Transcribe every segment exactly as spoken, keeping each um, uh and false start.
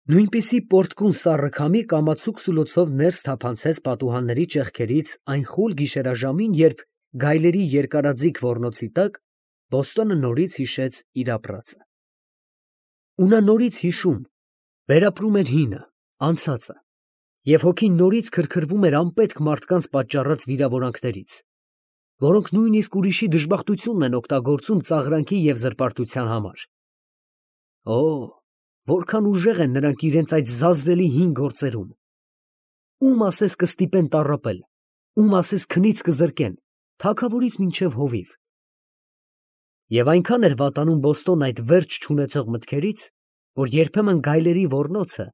Նույնպիսի պոռթկուն սառը քամի կամացուկ սուլոցով ներս թափանցեց պատուհանների ճեղքերից այն խուլ գիշերաժամին, երբ, գայլերի երկարաձիգ ոռնոցի տակ, Բոստոնը նորից հիշեց իր ապրածը… Ու նա նորից հիշում, վերապրում էր հինը, անցածը, և հոգին նորից քրքրվում էր անպետք մարդկանց պատճառած վիրավորանքներից, որոնք նույնիսկ ուրիշի դժբախտությունն են օգտագործում ծաղրանքի և զրպարտության համար… Օ՜, որքան ուժեղ են նրանք իրենց այդ զազրելի հին գործերում… Ո՞ւմ ասես կստիպեն տառապել, ո՞ւմ ասես քնից կզրկեն, թագավորից մինչև հովիվ… Եվ այնքան էր վատանում Բոստոնը այդ վերջ չունեցող մտքերից, որ երբեմն գայլերի ոռնոցը,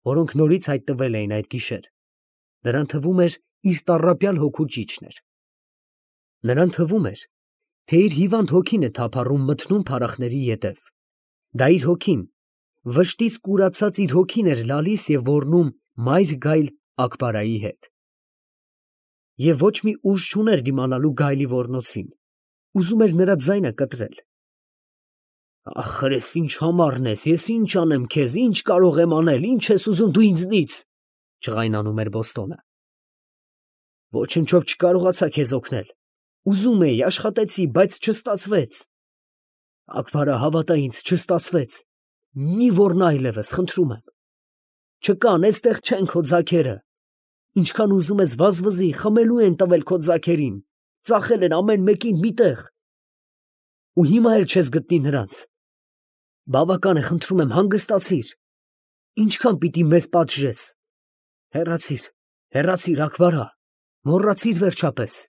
որոնք նորից հայտնվել էին այդ գիշեր, նրան թվում էր իր տառապյալ հոգու ճիչն էր… Նրան թվում էր, թե իր հիվանդ հոգին է թափառում մթնում փարախների ետև, դա իր հոգին, վշտից կուրացած իր հոգին էր լալիս և ոռնում մայր գայլ Աքբարայի հետ… Եվ ոչ մի ուժ չուներ դիմանալու գայլի ոռնոցին, ուզում էր նրա ձայնը կտրել… Ախր ես ինչ համառն ես, ես ինչ անեմ քեզ, ինչ կարող եմ անել, ի՞նչ ես ուզում դու ինձնից… ջղայնանում էր Բոստոնը… Ոչնչով չկարողացա քեզ օգնել, ուզում էի, աշխատեցի, բայց չստացվեց… Աքբարա, հավատա ինձ, չստացվեց… Մի ոռնա այլևս, խնդրում եմ… Չկան, էստեղ չեն քո ձագերը… Ինչքան ուզում ես վազվզի, խմելու են տվել քո ձագերին, ծախել են ամեն մեկին մի տեղ… Ու հիմա էլ չես գտնի նրանց… Բավական է, խնդրում եմ, հանգստացիր… Ինչքան պիտի մեզ պատժես… Հեռացիր, հեռացիր, Աքբարա… Մոռացիր վերջապես…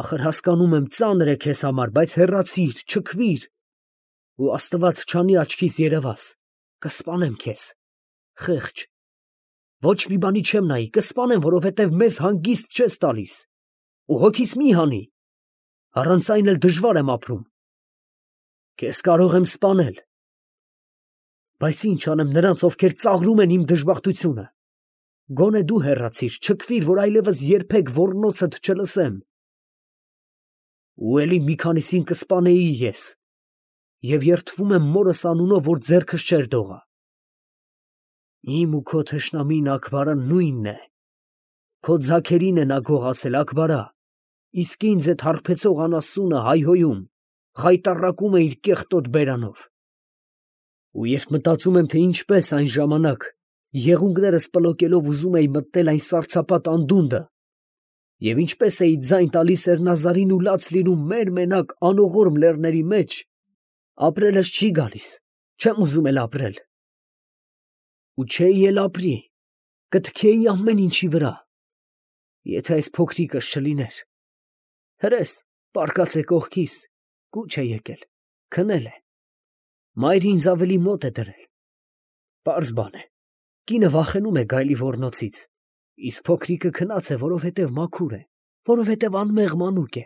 Ախր հասկանում եմ, ծանր է քեզ համար, բայց հեռացիր, չքվիր… Ու աստված չանի աչքիս երևաս, կսպանեմ քեզ… Խեղճ… Ոչ մի բանի չեմ նայի, կսպանեմ, որովհետև մեզ հանգիստ չես տալիս… Ու հոգիս մի հանի… Առանց այն էլ դժվար եմ ապրում… Քեզ կարող եմ սպանել… Բայց ի՞նչ անեմ նրանց, ովքեր ծաղրում են իմ դժբախտությունը… Գոնե դու հեռացիր, չքվիր, որ այլևս երբեք ոռնոցդ չլսեմ… Ու էլի մի քանիսին կսպանեի ես… Եվ երդվում եմ մորս անունով, որ ձեռքս չէր դողա… Իմ ու քո թշնամին Աքբարան նույնն է… Քո ձագերին է նա գողացել, Աքբարա… Իսկ ինձ էդ հարբեցող անասունը հայհոյում, խայտառակում է իր կեղտոտ բերանով… Ու երբ մտածում եմ, թե ինչպես այն ժամանակ, եղունգներս պլոկելով ուզում էի մտնել այն սառցապատ անդունդը, և ինչպես էի ձայն տալիս Էրնազարին ու լաց լինում մերմենակ անողորմ լեռների մեջ, ապրելս չի գալիս, չեմ ուզում էլ ապրել… Ու չէի էլ ապրի, կթքեի ամեն ինչի վրա… Եթե այս փոքրիկս չլիներ… Հրես, պառկած է կողքիս, կուչ է եկել, քնել է… Մայրը ինձ ավելի մոտ է դրել… Պարզ բան է, կինը վախենում է գայլի ոռնոցից, իսկ փոքրիկը քնած է, որովհետև մաքուր է, որովհետև անմեղ մանուկ է…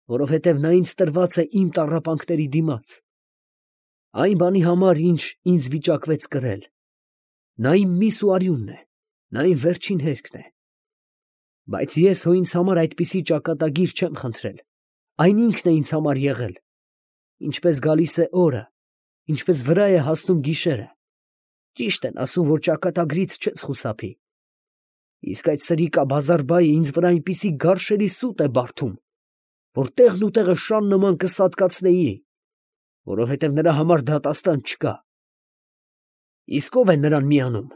Որովհետև նա ինձ տրված է իմ տառապանքների դիմաց… Այն բանի համար, ինչ ինձ վիճակվեց կրել… Նա իմ միս ու արյունն է, նա իմ վերջին հերքն է… Բայց ես հո ինձ համար այդպիսի ճակատագիր չեմ խնդրել, այն ինքն է ինձ համար եղել… Ինչպես գալիս է օրը, ինչպես վրա է հասնում գիշերը… Ճիշտ են ասում, որ ճակատագրից չես խուսափի… Իսկ այդ սրիկա բազարբայը ինձ վրա այնպիսի գարշելի սուտ է բարդում, որ տեղն ու տեղը շան նման կսատկացնեի… Որովհետև նրա համար դատաստան չկա… Իսկ ո՞վ է նրան միանում…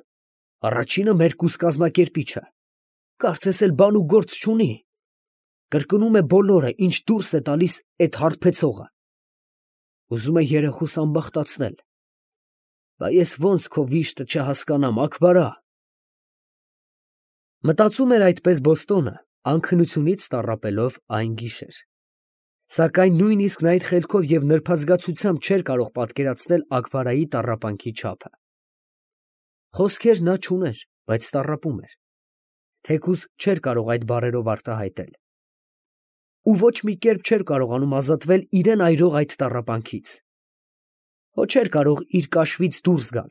Առաջինը մեր կուս կազմակերպիչը… Կարծես էլ բան ու գործ չունի… Կրկնում է բոլորը, ինչ դուրս է տալիս էդ հարբեցողը… Ուզում է երեխուս ամբախտացնել… Բա ես ո՞նց քո վիշտը չհասկանամ, Աքբարա… Մտածում էր այդպես Բոստոնը, անքնությունից տառապելով այն գիշեր… Սակայն նույնիսկ նա այդ խելքով և նրբազգացությամբ չէր կարող պատկերացնել Աքբարայի տառապանքի չափը… Խոսքեր նա չուներ, բայց տառապում էր… Թեկուզ չէր կարող այդ բառերով արտահայտել… Ու ոչ մի կերպ չէր կարողանում ազատվել իրան այրող այդ տառապանքից… Հո չէր կարող իր կաշվից դուրս գալ…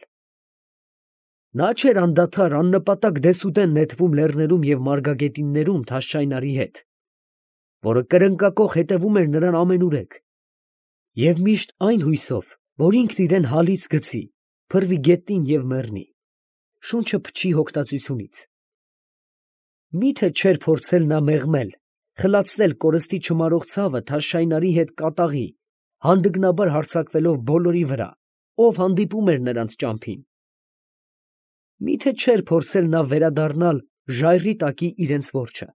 Նա չէր անդադար, աննպատակ դեսուդեն նետվում լեռներում և մարգագետիններում Թաշչայնարի հետ, որը կրնկակոխ հետևում էր նրան ամենուրեք… Եվ միշտ այն հույսով, որ ինքն իրան հալից գցի, փռվի գետնին և մեռնի, շունչը փչի հոգտածությունից։ Մի՞թե չէր փորձել նա մեղմել, խլացնել կորստի չմարող ցավը Թաշշայնարի հետ կատաղի, հանդգնաբար հարձակվելով բոլորի վրա, ով հանդիպում էր նրանց ճամփին։ Մի՞թե չէր փորձել նա վերադառնալ ժայռի տակի իրենց որջը,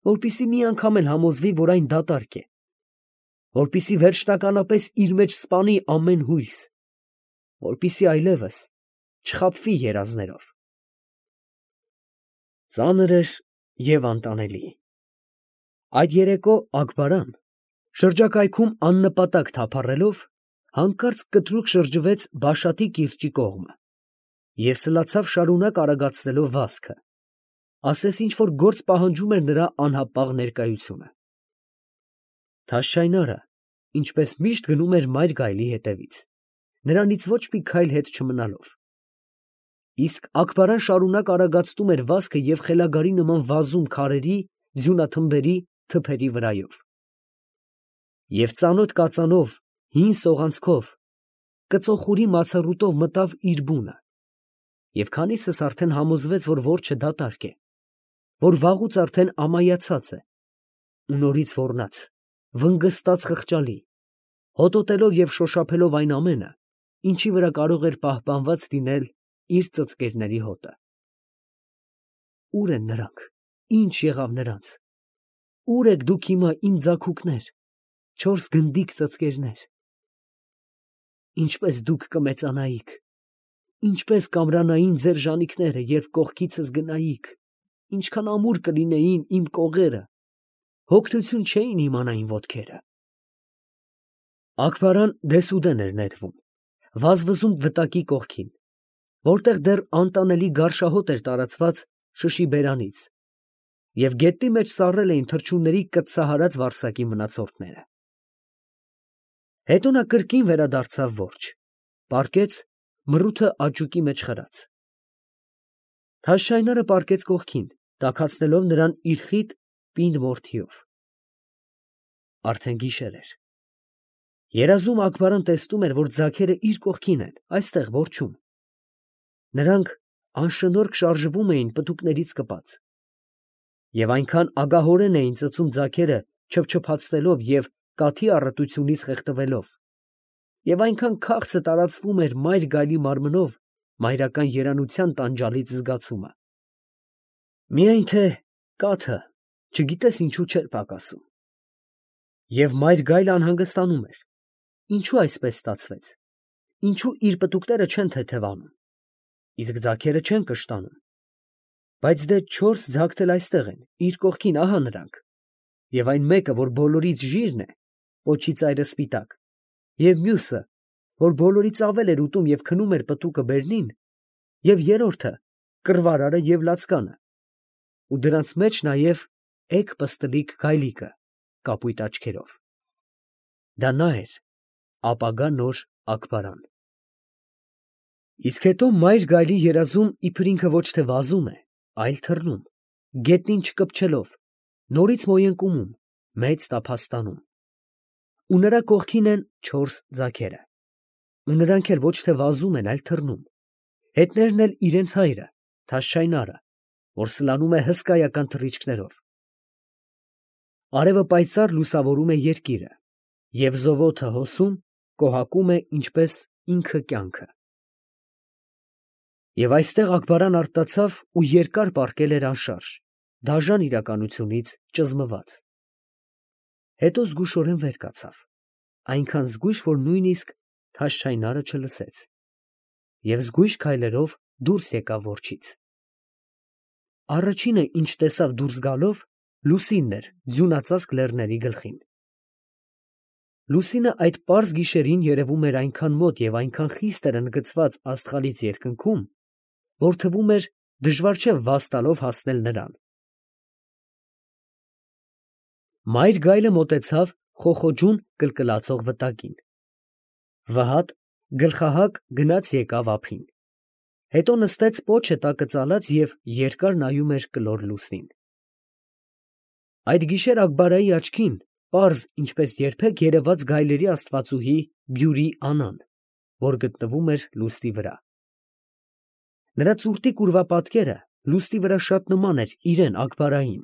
որպեսզի մի անգամ էլ համոզվի, որ այն դատարկ է, որպեսզի վերջնականապես իր մեջ սպանի ամեն հույս, որպեսզի այլևս չխաբվի երազներով։ Ծանր էր և անտանելի։ Այդ երեկո Աքբարան, շրջակայքում աննպատակ թափառելով, հանկարծ կտրուկ շրջվեց Բաշատի կիրճի կողմը և սլացավ շարունակ արագացնելով վազքը, ասես ինչ֊որ գործ պահանջում էր նրա անհապաղ ներկայությունը։ Թաշշայնարը, ինչպես միշտ, գնում էր մայր գայլի հետևից, նրանից ոչ մի քայլ հետ չմնալով, իսկ Աքբարան շարունակ արագացնում էր վազքը և խելագարի նման վազում քարերի, ձյունաթմբերի, թփերի վրայով։ Եվ ծանոթ կածանով, հին սողանցքով, կծոխուրի մացառուտով մտավ իր բունը, և քանիսս արդեն համոզվեց, որ որջը դատարկ է, որ վաղուց արդեն ամայացած է, ու նորից ոռնաց, վնգստած խղճալի, հոտոտելով և շոշափելով այն ամենը, ինչի վրա կարող էր պահպանված լինել իր ծծկերների հոտը։ Ո՞ւր են նրանք, ի՞նչ եղավ նրանց, ո՞ւր եք դուք հիմա, իմ ձագուկներ, չորս գնդիկ ծծկերներ։ Ինչպե՞ս դուք կմեծանայիք, ինչպե՞ս կամրանային ձեր ժանիքները, երբ կողքիցս գնայիք, ինչքան ամուր կլինեին իմ կողերը, հոգնություն չէին իմանա իմ ոտքերը։ Աքբարան դեսուդեն էր նետվում, վազվզում վտակի կողքին, որտեղ դեռ անտանելի գարշահոտ էր տարածված շշի բերանից, և գետնի մեջ սառել էին թռչունների կծծահարած վարսակի մնացորդները։ Հետո նա կրկին վերադարձավ որջը, պառկեց, մռութը աճուկի մեջ խրած։ Թաշշայնարը պառկեց կողքին, տաքացնելով նրան իր խիտ պինդ մորթիով։ Արդեն գիշեր էր։ Երազում Աքբարան տեսնում էր, որ ձագերը իր կողքին են, այստեղ որջում։ Նրանք անշնորհք շարժվում էին պտուկներից կպած, և այնքան ագահորեն էին ծծում ձագերը չփչփացնելով և կաթի առատությունից խեղդվելով, և այնքան քաղցը տարածվում էր մայր գայլի մարմնով մայրական երանության տանջալից զգացումը։ Միայն թե կաթը չգիտես ինչու չէր պակասում։ Եվ մայր գայլը անհանգստանում էր. ինչո՞ւ այսպես ստացվեց, ինչո՞ւ իր պտուկները չեն թեթևանում, իսկ ձագերը չեն կշտանում, բայց դե չորս ձագդ էլ այստեղ են, իր կողքին, ահա նրանք, և այն մեկը, որ բոլորից ժիրն է, պոչի ծայրը սպիտակ, և մյուսը, որ բոլորից ավել էր ուտում և քնում էր պտուկը բերնին, և երրորդը կռվարարը և լացկանը, ու դրանց մեջ նաև էգ պստլիկ գայլիկը կապույտ աչքերով։ Դա նա էր, ապագա նոր Աքբարան։ Իսկ հետո մայր գայլի երազում իբր ինքը ոչ թե վազում է, այլ թռնում, գետնին չկպչելով, նորից մոյընկումում, մեծ տափաստանում, ու նրա կողքին են չորս ձագերը, ու նրանք էլ ոչ թե վազում են, այլ թռնում, հետներն էլ իրանց հայրը, Թաշշայնարը, որ սլանում է հսկայական թռիչքներով։ Արևը պայծառ լուսավորում է երկիրը, և զովոթը հոսում, կոհակում է ինչպես ինքը կյանքը։ Եվ այստեղ Աքբարան արթնացավ ու երկար պառկել էր անշարժ, դաժան իրականությունից ճզմված։ Հետո զգուշորեն վեր կացավ, այնքան զգույշ, որ նույնիսկ Թաշշայնարը չլսեց, և զգույշ քայլերով դուրս եկավ որջից։ Առաջինը, ինչ տեսավ դուրս գալով, Լուսինն էր ձյունածածկ լեռների գլխին։ Լուսինը այդ պարզ գիշերին երևում էր այնքան մոտ և այնքան խիստ էր ընդգծված աստղալից երկնքում, որ թվում էր դժվար չէ վազ տալով հասնել նրան։ Մայր գայլը մոտեցավ խոխոջուն կլկլացող վտակին։ Վհատ գլխահակ գնաց եկավ ափին, հետո նստեց պոչը տակը ծալած և երկար նայում էր կլոր լուսնին։ Այդ գիշեր Աքբարայի աչքին պարզ, ինչպես երբեք երևաց գայլերի աստվածուհի Բյուրի Անան, որ գտնվում էր լուստի վրա։ Նրա ծուրտիկ ուրվապատկերը լուստի վրա շատ նման էր իրան Աքբարային։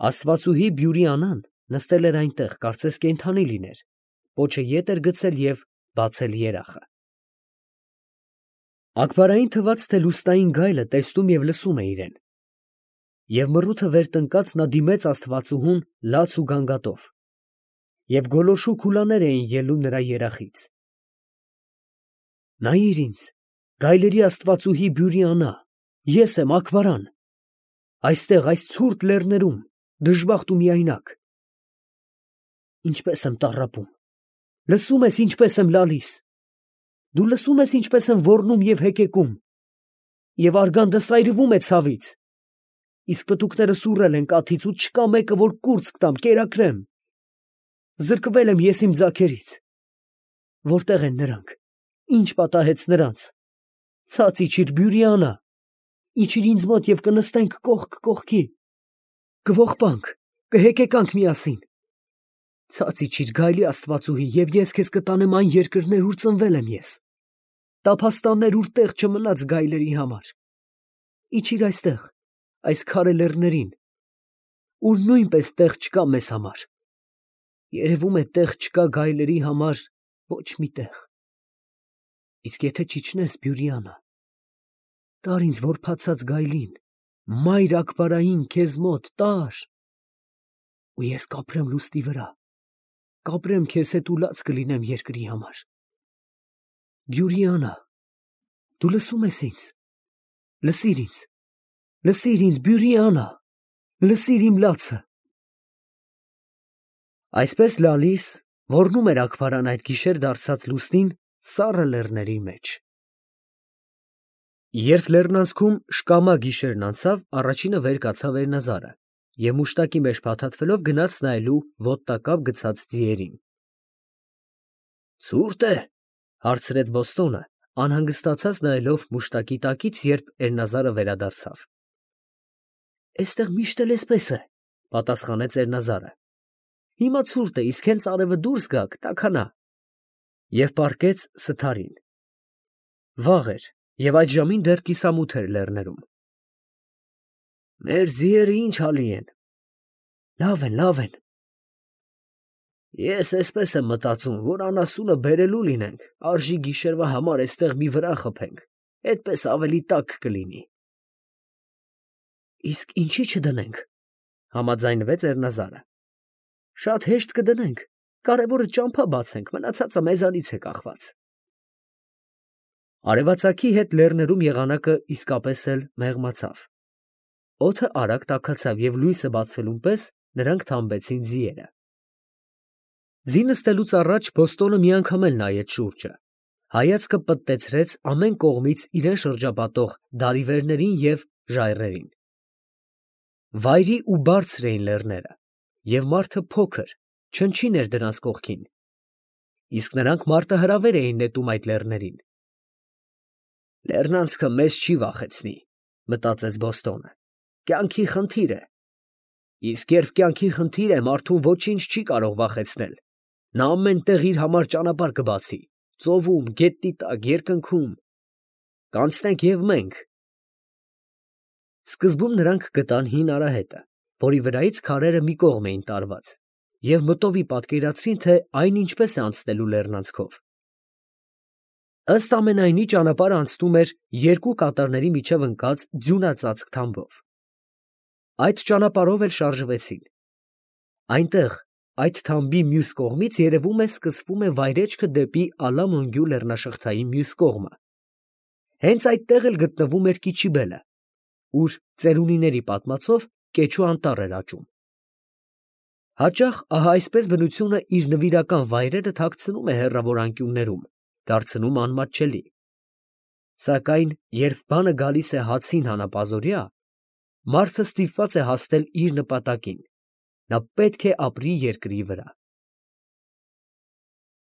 Աստվածուհի Բյուրի անան նստել էր այնտեղ, կարծես կենդանի լիներ, պոչը ետ էր գցել և բացել երախը։ Աքբարային թվաց, թե լուստային գայլը տեսնում և լսում է իրեն, և մռութը վեր տնկած նա դիմեց աստվածուհուն լաց ու գանգատով, և գոլորշու քուլաներ էին ելնում նրա երախից։ Նայիր ինձ, գայլերի աստվածուհի Բյուրի անա, ես եմ Աքբարան, այստեղ, այս ցուրտ լեռներում, դժբախտ ու միայնակ։ Ինչպես եմ տառապում, լսում ես ինչպես եմ լալիս, դու լսում ես ինչպես եմ ոռնում և հեկեկում, և արգանդը սայրվում է ցավից, իսկ պտուկները սուռել են կաթից ու չկա մեկը, որ կուրծք տամ, կերակրեմ, զրկվել եմ ես իմ ձագերից, որտե՞ղ են նրանք, ինչ պատահեց նրանց, ցած իջիր Բյուրի անա, իջիր ինձ մոտ և կնստենք կողք կողքի, կողբանք, կհեկեկանք միասին, ցած իջիր գայլի աստվածուհի, և ես քեզ կտանեմ այն երկրներ, ուր ծնվել եմ ես, տափաստաններ, ուր տեղ չմնաց գայլերի համար, իջիր այստեղ, այս քարե լեռներին, ուր նույնպես տեղ չկա մեզ համար, երևում է տեղ չկա գայլերի համար ոչ մի տեղ, իսկ եթե չիջնես Բյուրի անա, տար ինձ որբացած գայլին, մայր Աքբարային քեզ մոտ տար, ու ես կապրեմ լուստի վրա, կապրեմ քեզ հետ ու լաց կլինեմ երկրի համար։ Բյուրի անա, դու լսում ես ինձ, լսիր ինձ, լսիր ինձ Բյուրի անա, լսիր իմ լացը։ Այսպես լալիս ոռնում էր Աքբարան այդ գիշեր դարձած լուստին սառը լեռների մեջ։ Երբ լեռնանցքում շկամա գիշերն անցավ, առաջինը վեր կացավ Էրնազարը և մուշտակի մեջ փաթաթվելով գնաց նայելու ոտտակապ գցած ձիերին։ Ցուրտ է, հարցրեց Բոստոնը, անհանգստացած նայելով մուշտակի տակից, երբ Էրնազարը վերադարձավ։ Էստեղ միշտ էլ էսպես է, պատասխանեց Էրնազարը։ Հիմա ցուրտ է, իսկ հենց արևը դուրս գաք, տաքանա։ Եվ պառկեց սթարին։ Վաղ էր, և այդ ժամին դեռ կիսամութ էր լեռներում։ Մեր ձիերը ինչ հալի են։ Լավ են, լավ են։ Ես էսպես եմ մտածում, որ անասունը բերելու լինենք, արժի գիշերվա համար էստեղ մի վրա խփենք, այդպես ավելի տաք կլինի։ Իսկ ինչի չդնենք, համաձայնվեց Էրնազարը։ Շատ հեշտ կդնենք, կարևորը ճամփա բացենք, մնացածը մեզանից է կախված։ Արևածագի հետ լեռներում եղանակը իսկապես էլ մեղմացավ։ Օդը արագ տաքացավ և լույսը բացվելուն պես նրանք թամբեցին ձիերը։ Ձի նստելուց առաջ Բոստոնը մի անգամ էլ նայեց շուրջը, հայացքը պտտեցրեց ամեն կողմից իրեն շրջապատող դարիվերներին և ժայռերին։ Վայրի ու բարձր էին լեռները, և մարդը փոքր, չնչին էր դրանց կողքին, իսկ նրանք մարտահրավեր էին նետում այդ լեռներին։ Լեռնանցքը մեզ չի վախեցնի, մտածեց Բոստոնը, կյանքի խնդիր է, իսկ երբ կյանքի խնդիր է, մարդուն ոչինչ չի կարող վախեցնել, նա ամեն տեղ իր համար ճանապարհ կբացի, ծովում, գետնի տակ, երկնքում, կանցնենք և մենք։ Սկզբում նրանք գտան հին արահետը, որի վրայից քարերը մի կողմ էին տարված, և մտովի պատկերացրին, թե այն ինչպես է անցնելու լեռնանցքով։ Ըստ ամենայնի ճանապարհը անցնում էր երկու կատարների միջև ընկած ձյունածածկ թամբով։ Այդ ճանապարհով էլ շարժվեցին։ Այնտեղ, այդ թամբի մյուս կողմից երևում է սկսվում է վայրեջքը դեպի Ալամոնգյու լեռնաշղթայի մյուս կողմը։ Հենց այդտեղ էլ գտնվում էր Կիչիբելը, ուր ծերունիների պատմածով կեչու անտառ էր աճում։ Հաճախ ահա այսպես բնությունը իր նվիրական վայրերը թաքցնում է հեռավոր անկյուններում, դարձնում անմատչելի։ Սակայն երբ բանը գալիս է հացին հանապազօրյա, մարդը ստիպված է հասնել իր նպատակին, նա պետք է ապրի երկրի վրա։